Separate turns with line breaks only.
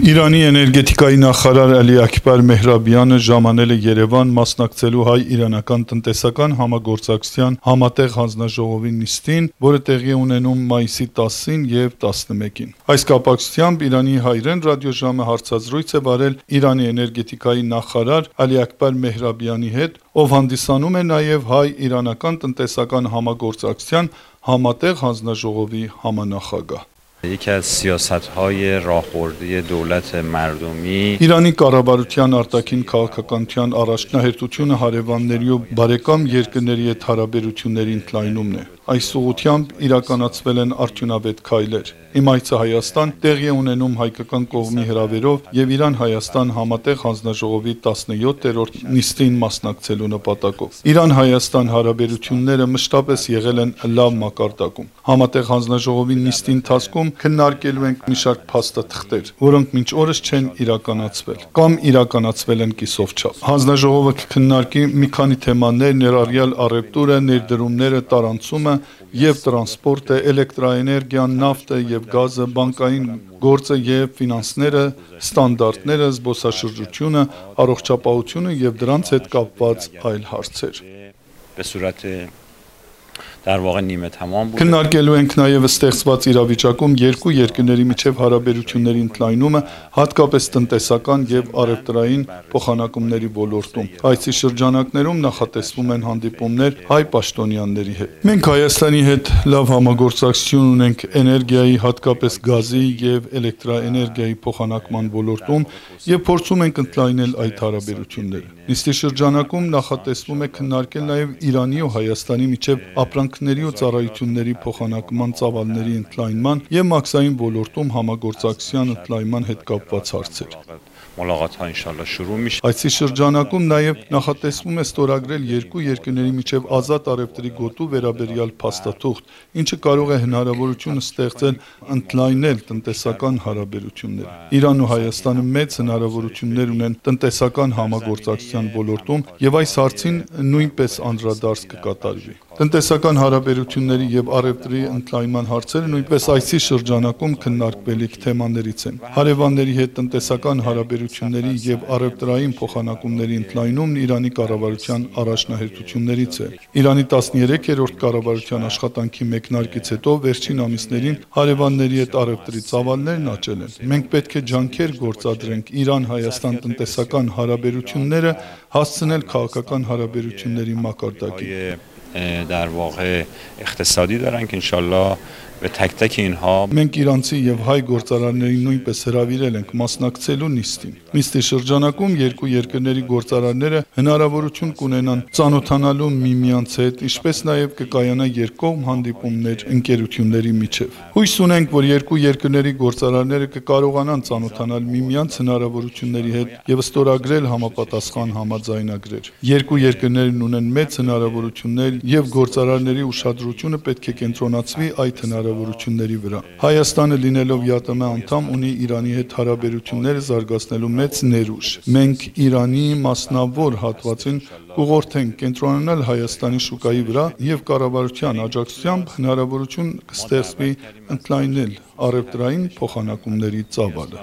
Իրանի էներգետիկայի նախարար Ալի Աքբար Մեհրաբյանը ժամանել է Երևան մասնակցելու հայ-իրանական տնտեսական համագործակցության համատեղ հանձնաժողովի նիստին, որը տեղի է ունենում մայիսի 10-ին և 11-ին։ Այս կապակցությամբ Իրանի հայրեն ռադիոժամը հարցազրույց է վարել Իրանի էներգետիկայի նախարար Ալի Աքբար Մեհրաբյանի հետ, ով հանդիսանում է նաև հայ-իրանական տնտեսական համագործակցության համատեղ հանձնաժողովի համանախագահ։
یکی از سیاست‌های راهبردی دولت مردمی
Իրանի կառավարության արտաքին քաղաքականության առաջնահերթությունը հարևանների ու բարեկամ երկրների հետ հարաբերությունների ընդլայնումն է։ Այս ուղղությամբ իրականացվել են արդյունավետ քայլեր։ Իմ այցը Հայաստան տեղի է ունենում հայկական կողմի հրավերով եւ Իրան-Հայաստան համատեղ հանձնաժողովի 17-րդ նիստին մասնակցելու նպատակով։ Իրան-Հայաստան հարաբերությունները մշտապես եղել են լավ մակարդակում։ Համատեղ հանձնաժողովի նիստի ընթացքում քննարկելու ենք մի շարք փաստաթղթեր, որոնք մինչ օրս չեն իրականացվել կամ իրականացվել են կիսով չափ։ Հանձնաժողովը կքննարկի մի քանի թեմաներ, ներառյալ առևտուրը, ներդրումները, տարանցումը եւ տրանսպորտը, էլեկտրաէներգիան, նավթը եւ գազը, բանկային գործը եւ ֆինանսները, ստանդարտները, զբոսաշրջությունը, առողջապահությունը եւ դրանց հետ կապված այլ հարցեր։ Քննարկելու ենք նաև ստեղծված իրավիճակում երկու երկրների միջև հարաբերությունների ընդլայնումը, հատկապես տնտեսական եւ առևտրային փոխանակումների ոլորտում։ Այցի շրջանակներում նախատեսվում են հանդիպումներ հայ պաշտոնյաների հետ։ Մենք Հայաստանի հետ լավ համագործակցություն ունենք էներգիայի, հատկապես գազի եւ էլեկտրաէներգիայի փոխանակման ոլորտում եւ փորձում ենք ընդլայնել այդ հարաբերությունները։ Նիստի շրջանակում նախատեսվում է քննարկել նաև Իրանի ու Հայաստանի միջև ապրանքների ու ծառայությունների փոխանակման ծավալների ընդլայնման եւ մաքսային ոլորտում համագործակցության ընդլայնման հետ կապված հարցեր։ Այցի շրջանակում նաև նախատեսվում է ստորագրել երկու երկրների միջև ազատ առևտրի գոտու վերաբերյալ փաստաթուղթ, ինչը կարող է հնարավորություն ստեղծել ընդլայնել տնտեսական հարաբերությունները։ Իրանն ու Հայաստանը մեծ հնարավորություններ ունեն տնտեսական համագործակցության ոլորտում եւ այս հարցին նույնպես անդրադարձ կկատարվի։ Տնտեսական հարաբերությունների եւ առևտրի ընդլայնման հարցերը նույնպես այցի շրջանակում քննարկվելիք թեմաներից են։ Հարևանների հետ տնտեսական հարաբերությունների եւ առևտրային փոխանակումների ընդլայնումն Իրանի կառավարության առաջնահերթություններից է։ Իրանի 13-րդ կառավարության աշխատանքի մեկնարկից հետո վերջին ամիսներին հարևանների հետ առևտրի ծավալներն աճել են։ Մենք պետք է ջանքեր գործադրենք Իրան-Հայաստան տնտեսական հարաբերությունները հասցնել քաղաքական հարաբերությունների մակարդակին։
در واقع اقتصادی دارن که انشالله به تک تک اینها
Մենք իրանցի եւ հայ գործարարներին նույնպես հրավիրել ենք մասնակցելու նիստին։ Նիստի շրջանակում երկու երկրների գործարարները հնարավորություն կունենան ծանոթանալու միմյանց հետ, ինչպես նաեւ կկայանա երկկողմ հանդիպումներ ընկերությունների միջև։ Հույս ունենք, որ երկու երկրների գործարարները կկարողանան ծանոթանալ միմյանց հնարավորությունների հետ եւ ստորագրել համապատասխան համաձայնագրեր։ Երկու երկրներն ունեն մեծ հնարավորություններ եւ գործարարների ուշադրությունը պետք է կենտրոնացվի այդ հնարավորությունների վրա։ Հայաստանը լինելով ԵԱՏՄ անդամ ունի Իրանի հետ հարաբերությունները զարգացնելու մեծ ներուժ։ Մենք Իրանի մասնավոր հատվածին կուղղորդենք կենտրոնանալ Հայաստանի շուկայի վրա եւ կառավարության աջակցությամբ հնարավորություն կստեղծվի ընդլայնել առևտրային փոխանակումների ծավալը։